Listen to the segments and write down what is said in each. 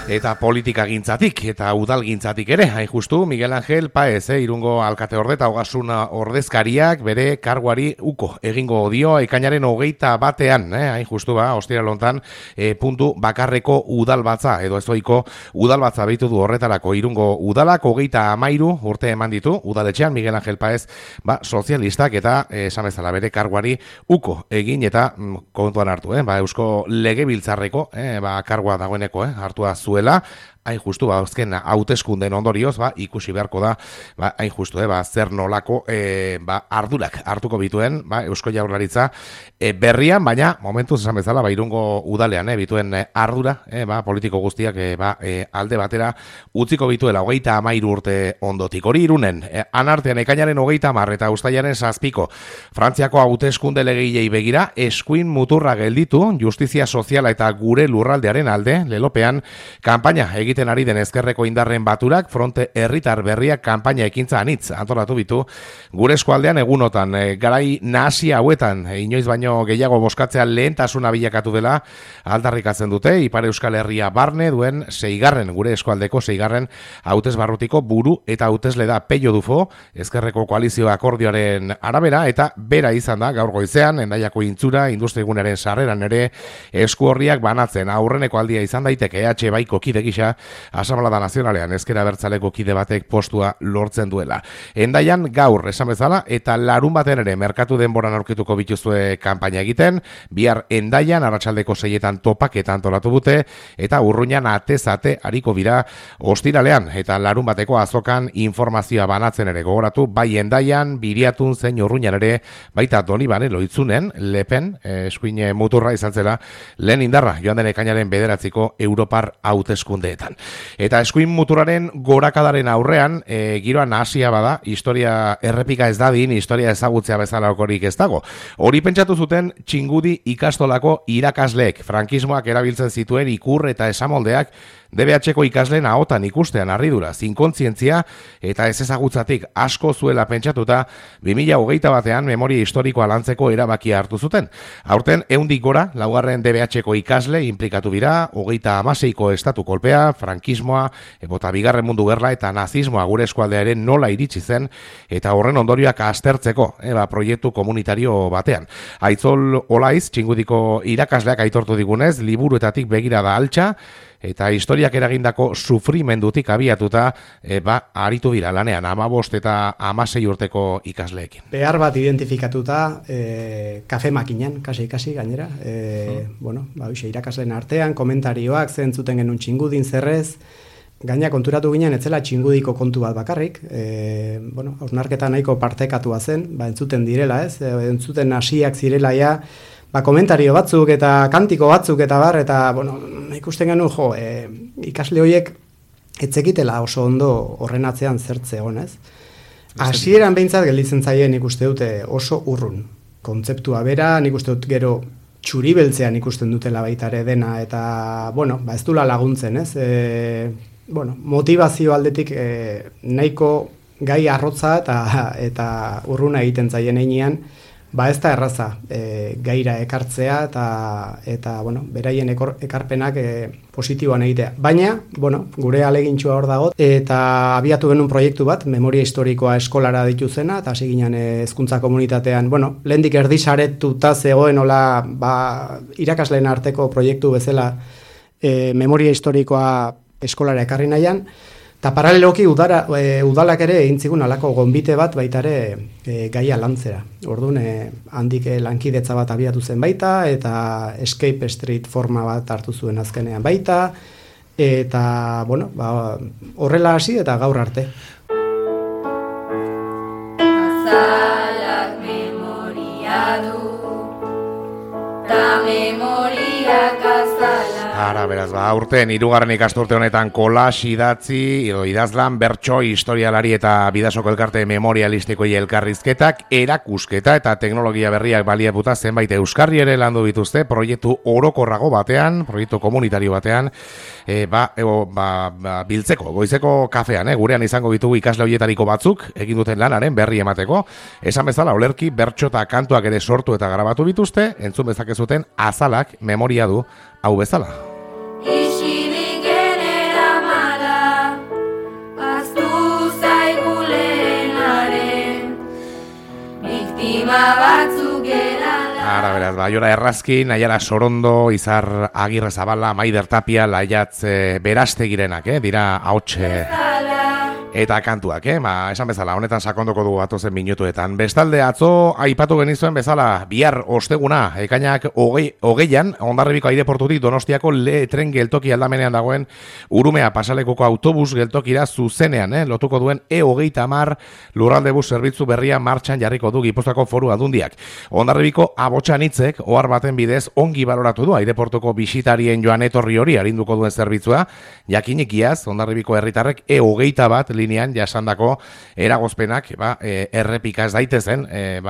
eta politikagintzatik eta udalgintzatik ere, hain justu Miguel Ángel Páez, Irungo alkate orde eta ogasun ordezkariak bere karguari uko egingo dio ekainaren 21, hain justu ostiral hontan puntu bakarreko udalbatza edo ezoiko udalbatza beitu du horretarako Irungo udalak 33 urte eman ditu udaletxean Miguel Ángel Páez sozialistak eta esan bezala bere karguari uko egin eta kontuan hartu, Eusko Legebiltzarreko kargua dagoeneko hartua zuela. Hain justu, azken hauteskundeen ondorioz, ikusi beharko da, hain justu, zer nolako ardurak hartuko bituen, Eusko Jaurlaritza berrian, baina momentuz esan bezala, Irungo udalean, bituen ardura, politiko guztiak alde batera utziko bituela 33 urte ondotik. Hori Irunen, anartean ekainaren 30 eta uztailaren 7 Frantziako hauteskunde legilei begira, eskuin muturra gelditu, justizia soziala eta gure lurraldearen alde, lelopean, kanpaina egiten ari den ezkerreko indarren baturak fronte herritar berriak kanpaina ekintza anitz antolatu bitu gure eskualdean egunotan garai nahasi hauetan inoiz baino gehiago boskatzea lehentasuna bilakatu dela aldarrikatzen dute Ipar Euskal Herria barne duen 6. gure eskualdeko 6. hautesbarrutiko buru eta hautesle da Pello Dufo ezkerreko koalizio akordioaren arabera eta bera izan da gaur goizean Hendaiako intzura industrigunaren sarreran ere esku horriak banatzen aurreneko aldia izan daiteke EH Baiko kide gisa Asamblada Nazionalean ezker abertzaleko kide batek postua lortzen duela. Hendaian gaur esan bezala eta larun baten ere merkatu denboran aurkituko bituzue kanpaina egiten, bihar Hendaian arratsaldeko 6etan topaketa antolatu dute eta Urruñan atez-ate ariko bira ostiralean eta larun bateko azokan informazioa banatzen ere gogoratu, bai Hendaian, Biriatun zein Urruñan ere, baita Donibane Loitzunen, Lepen, eskuin muturra izan zela, lehen indarra joan den ekainaren 9 Europar hauteskundeetan. Eta eskuin muturaren gorakadaren aurrean, giroa nahasia bada, historia errepika ez dadin, historia ezagutzea bezala okorik ez dago. Hori pentsatu zuten Txingudi ikastolako irakasleek, frankismoak erabiltzen zituen ikur eta esamoldeak DBH-ko ikasleen ahotan ikustean harridura, zinkontzientzia eta ez ezagutzatik asko zuela pentsatuta 2021 memoria historikoa lantzeko erabakia hartu zuten. Aurten 100 gora, 4. DBH-ko ikasle implikatu dira, 36ko estatu kolpea, frankismoa, bota bigarren mundu gerla eta nazismoa gure eskualdearen nola iritsi zen eta horren ondorioak aztertzeko proiektu komunitario batean. Aitzol Olaiz, Txingudiko irakasleak aitortu digunez, liburuetatik begirada altxa, eta historiak eragindako sufrimendutik abiatuta aritu dira lanean 15 eta 16 urteko ikasleekin. Behar bat identifikatuta kafe makinan, kasi gainera. Irakasleen artean, komentarioak zentzuten genuen Txingudin zerrez, gaina konturatu ginen etzela Txingudiko kontu bat bakarrik, hausnarketa nahiko partekatua zen, entzuten direla ez, entzuten hasiak zirela ja, komentario batzuk eta kantiko batzuk eta bar, eta ikusten genuen ikasle horiek etzekitela oso ondo horren atzean zertze honez. Hasieran behintzat gelditzen zaien ikuste dute oso urrun. Kontzeptua bera, nik uste dut gero txuribeltzean ikusten dutela baita ere dena, eta ez dula laguntzen, ez? Motivazio aldetik nahiko gai arrotza eta urruna egiten zaien heinean, ez da erraza gaira ekartzea eta beraien ekarpenak positiboan egitea. Baina, gure alegintxua hor dago, eta abiatu genuen proiektu bat, memoria historikoa eskolara dituzena, eta hasi ginen hezkuntza komunitatean, lehendik erdisaretuta zegoen irakasleen arteko proiektu bezala memoria historikoa eskolara ekarri nahian, eta paraleloki udalak ere egin zigun alako gonbite bat baita ere gaia lantzera. Orduan, handik lankidetza bat abiatu zen baita, eta Escape Street forma bat hartu zuen azkenean baita, eta, horrela hasi eta gaur arte. Azalak memoria du, ta memoriak azalak. Ara, beraz, aurten 3. ikasturte honetan kolas idatzi, idazlan, bertso, historialari eta bidasoko elkarte memorialistikoi elkarrizketak, erakusketa eta teknologia berriak baliaputa zenbait euskarri ere landu dituzte, proiektu orokorrago batean, proiektu komunitario batean, biltzeko, goizeko kafean, gurean izango ditugu ikasle horietariko batzuk, egin duten lanaren berri emateko, esan bezala, olerki, bertso eta kantuak ere sortu eta grabatu dituzte, entzun bezakezuten azalak memoria du hau bezala. Isirik ere Arima batzuk erala. Ara, beraz, Baiora Errazkin, Aiara Sorondo, Izar Agirre Zabala, Maider Tapia, Laiatz Berastegirenak, dira ahotxe eta kantuak, esan bezala, honetan sakondoko dugu atozen minutuetan. Bestalde, atzo, aipatu genizuen bezala, bihar osteguna, ekainak hogeian, Hondarribiko aireportutik Donostiako tren geltoki aldamenean dagoen Urumea pasalekuko autobus geltokira zuzenean, lotuko duen E30 lurralde bus zerbitzu berria martxan jarriko du Gipuzkoako Foru Aldundiak. Hondarribiko abotxanitzek, ohar baten bidez, ongi baloratu du aireportuko bisitarien joan etorri hori arinduko duen zerbitzua, jakinik iaz, Hondarribiko herritarrek E31 linean jasandako eragozpenak errepika ez daitezen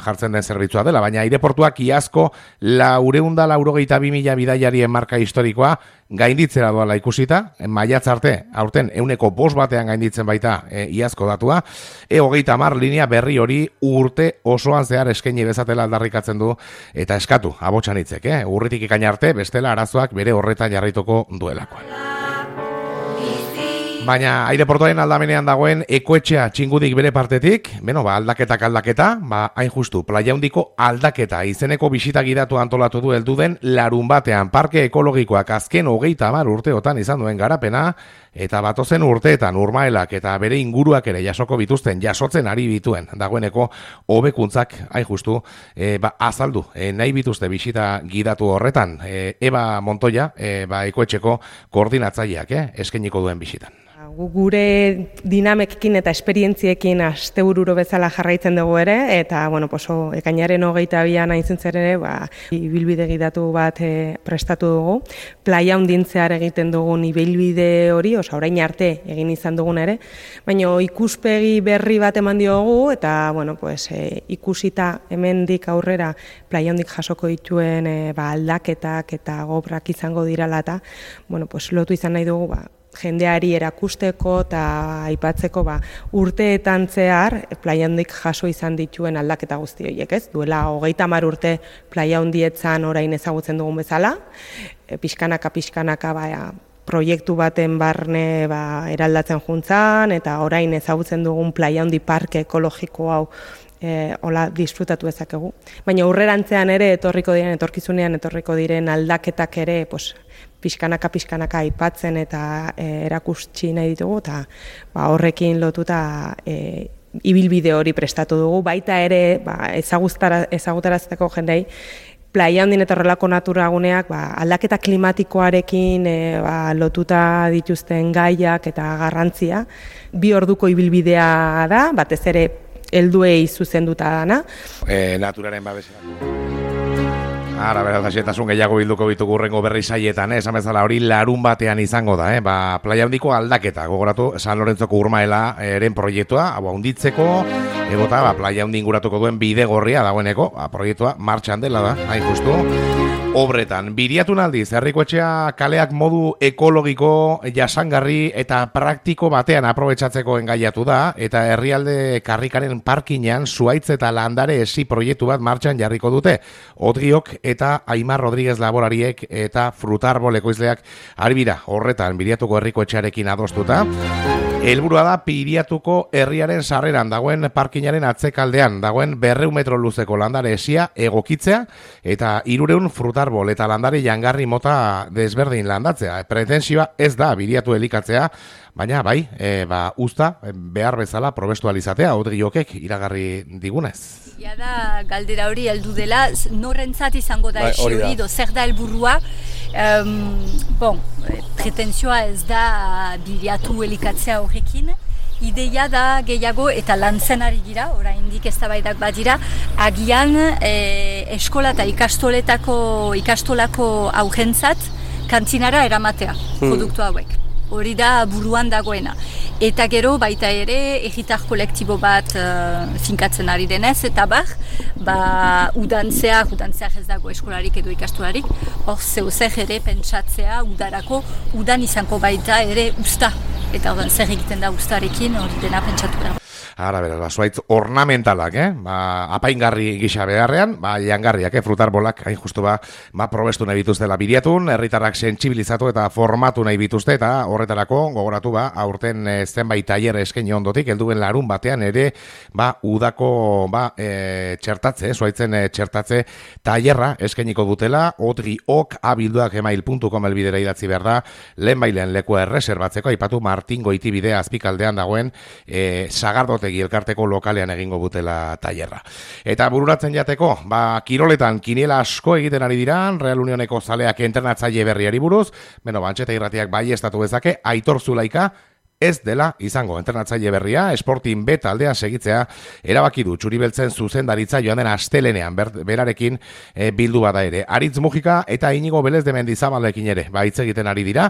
jartzen den zerbitzua dela, baina aireportuak iazko 482.000 bidaiarien marka historikoa gainditzera doala ikusita, maiatz arte, aurten 105 batean gainditzen baita iazko datua, E30 linea berri hori urte osoan zehar eskaini bezatela aldarrikatzen du eta eskatu abotxanitzek, urritik ekaina arte bestela arazoak bere horretan jarraituko duelakoan. Baina aireportuaren aldamenean dagoen ekoetxea txingudik bere partetik, aldaketa, hain justu, Playa Handiko aldaketa izeneko bisita gidatu antolatu du heldu den larun batean parke ekologikoak azken 30 urteotan izan duen garapena, eta batozen urteetan urmaelak eta bere inguruak ere jasotzen ari bituen dagoeneko hobekuntzak hain justu azaldu nahi bituzte bisita gidatu horretan. Eba Montoya, ekoetxeko koordinatzaileak eskainiko duen bisitan. Gure dinamekin eta esperientziekin astebururo bezala jarraitzen dugu ere, eta ekainaren 22an hain zuzen ere, ibilbide gidatu bat prestatu dugu. Playa Handintzear egiten dugun ibilbide hori, orain arte egin izan dugun ere, baina ikuspegi berri bat eman diogu, eta ikusita hemendik aurrera Playa Handik jasoko dituen aldaketak eta gobrak izango dirala eta lotu izan nahi dugu jendeari erakusteko eta aipatzeko urteetan zehar Playa Handik jaso izan dituen aldaketa guzti horiek, ez? Duela 30 urte Playa Handietzan orain ezagutzen dugun bezala, pixkanaka proiektu baten barne eraldatzen juntzan, eta orain ezagutzen dugun Playa Handi parke ekologiko hau hola disfrutatu ezakegu. Baina aurrerantzean ere etorkizunean etorriko diren aldaketak ere pixkanaka aipatzen eta erakutsi nahi ditugu, eta horrekin lotuta ibilbide hori prestatu dugu, baita ere ezagutarazteko jendei Playa Handin eta horrelako naturaguneak aldaketa klimatikoarekin lotuta dituzten gaiak eta garrantzia. 2 orduko ibilbidea da, batez ere helduei zuzenduta dana. Naturaren babeserako. Ara, beraz, xetasun gehiago bilduko ditugu hurrengo berri saietan, esan bezala hori larun batean izango da, Playa Handiko aldaketa, gogoratu San Lorenzoko urmaela eren proiektua, handitzeko, egota, Playa Handi inguratuko duen bide gorria dagoeneko, proiektua martxan dela da, hain justu. Obretan, Biriatun aldiz, herrikoetxea kaleak modu ekologiko, jasangarri eta praktiko batean aprobetxatzeko engaiatu da, eta herrialde karrikaren parkinean zuaitz eta landare esi proiektu bat martxan jarriko dute. Odriok eta Aimar Rodríguez laborariek eta Frutarbol ekoizleak arbira horretan Biriatuko herrikoetxearekin adostuta. Helburua da Biriatuko herriaren sarreran dagoen parkinaren atzekaldean dagoen 200 metro luzeko landare esia egokitzea eta 300 frutarbol eta landare jangarri mota desberdin landatzea. Pretensioa ez da Biriatu elikatzea, baina usta behar bezala probestualizatea Odriokek iragarri digunez. Ja da galdera hori heldu dela, norrentzat izango da hori zer da helburua. Pretensioa ez da Biriatu elikatzea horrekin. Ideia da gehiago eta lantzen ari gira, oraindik eztabaidak badira, agian eskola eta ikastolako aurrentzat kantinara eramatea produktu hauek. Hori da buruan dagoena. Eta gero baita ere herritar kolektibo bat finkatzen ari denez, eta udantzeak ez dago eskolarik edo ikastolarik, hor zeuzer ere pentsatzea udan izango baita ere usta. Eta zer egiten da ustarekin hori dena pentsatu behar. Ara, beraz, zuaitz ornamentalak, apaingarri gisa beharrean, jangarriak, frutarbolak, hain justu probestu nahi bituztela bidiatun, herritarrak sentsibilizatu eta formatu nahi bituzte, eta horretarako gogoratu aurten zenbait tailer eskaini ondotik, helduen larun batean ere, udako txertatze, zuaitzen txertatze tailerra eskainiko dutela, otriok@abilduak.com elbidera idatzi behar da, lehenbailen lekua erreserbatzeko, aipatu Martin Goitibide azpikaldean dagoen Sagardotegi elkarteko lokalean egingo dutela tailerra. Eta bururatzen jateko, kiroletan kiniela asko egiten ari dira, Real Unioneko zaleak entrenatzaile berriari buruz, Antxeta Irratiak baieztatu dezake, Aitor Zulaika ez dela izango entrenatzaile berria, Sporting B taldea segitzea erabaki du Txuri-Beltzen zuzendaritza joan den astelenean berarekin bildu bada ere. Aritz Mujika eta Inigo Belez de Mendizabalekin ere hitz egiten ari dira.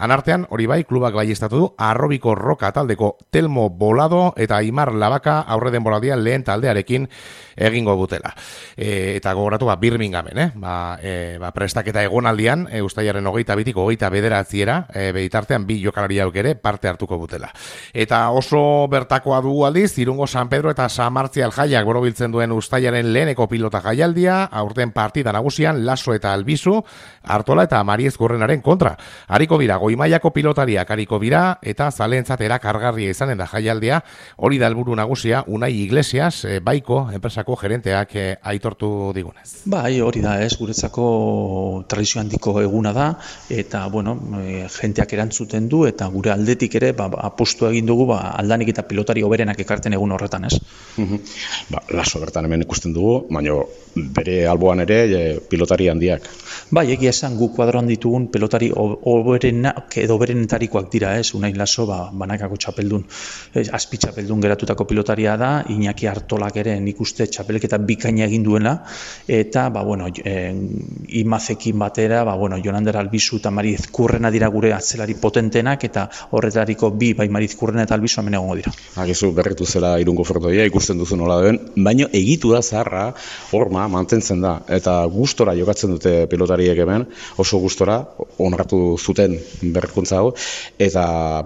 Anartean, hori bai, klubak baiestatu du Arrobiko Roka taldeko Telmo Bolado eta Aimar Labaka aurre denboraldian lehen taldearekin egingo dutela. Eta gogoratu Birminghamen, prestaketa egonaldian, ustailaren 22tik 29 bitartean bi jokalariak ere parte hartuko dutela. Eta oso bertakoa dugu aldiz, Irungo San Pedro eta San Martzial jaiak borobiltzen duen ustailaren leheneko pilota jaialdia, aurten partida nagusian Laso eta Albizu, Artola eta Mariez Gurrenaren kontra. Hariko dira, goimaiako pilotariak hariko dira, eta zalentzat erakargarria izanen da jaialdia, hori da helburu nagusia, Unai Iglesias, baiko enpresako gerenteak aitortu digunez. Hori da, guretzako tradizio handiko eguna da, eta, jenteak erantzuten du, eta gure aldetik ere, apostu egin dugu, aldanik eta pilotari hoberenak ekarten egun horretan, ez? Laso bertan hemen ikusten dugu, baina bere alboan ere pilotari handiak. Egia esan gu kuadroan ditugun pilotari hoberenak edo berenetarikoak dira, ez? Unai Laso, banakako txapeldun, azpi txapeldun geratutako pilotaria da, Iñaki Artolak ere nik uste txapelketa bikaina egin duela, eta, Imazekin batera, Jonander Albizu eta Mariz Kurrena dira gure atzelari potentenak, eta horretariko bi, Mariz Kurrena eta Albizu hemen egongo dira. Agizu berritu zela Irungo frontoia, ikusten duzu nola duen, baina egitu da zaharra, horma mantentzen da, eta gustora jokatzen dute pilotariek hemen, oso gustora, onartu zuten berrikuntza hau, eta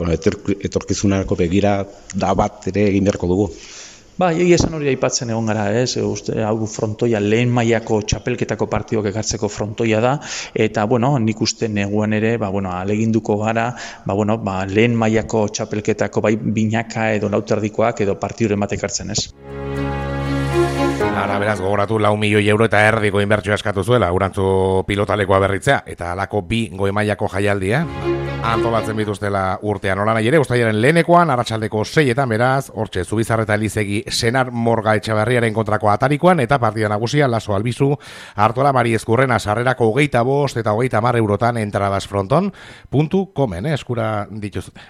etorkizunarako begira da bat ere egin beharko dugu. Egia esan hori aipatzen egon gara, ez? Hau frontoia lehen mailako txapelketako partidok ekartzeko frontoia da, eta, nik uste neguan ere, aleginduko gara, lehen mailako txapelketako binaka edo lauterdikoak edo partiduren bat ekartzen, ez? Ara, beraz, gogoratu 4 milioi euro eta erdiko inbertsioa eskatu zuela, urantzu pilotalekoa berritzea, eta alako bi goi-mailako jaialdia antolatzen bituztela urtean. Nola nahi ere, ustailaren lehenekoan, arratsaldeko 6etan, beraz, hortxe, Zubizarreta Elizegi Senar Morga Etxaberriaren kontrako atarikoan, eta partida nagusia Laso Albizu, Artola Mariez Gurrena sarrerako 25 eta 30 eurotan entrabasfronton.comen, eskura dituzute.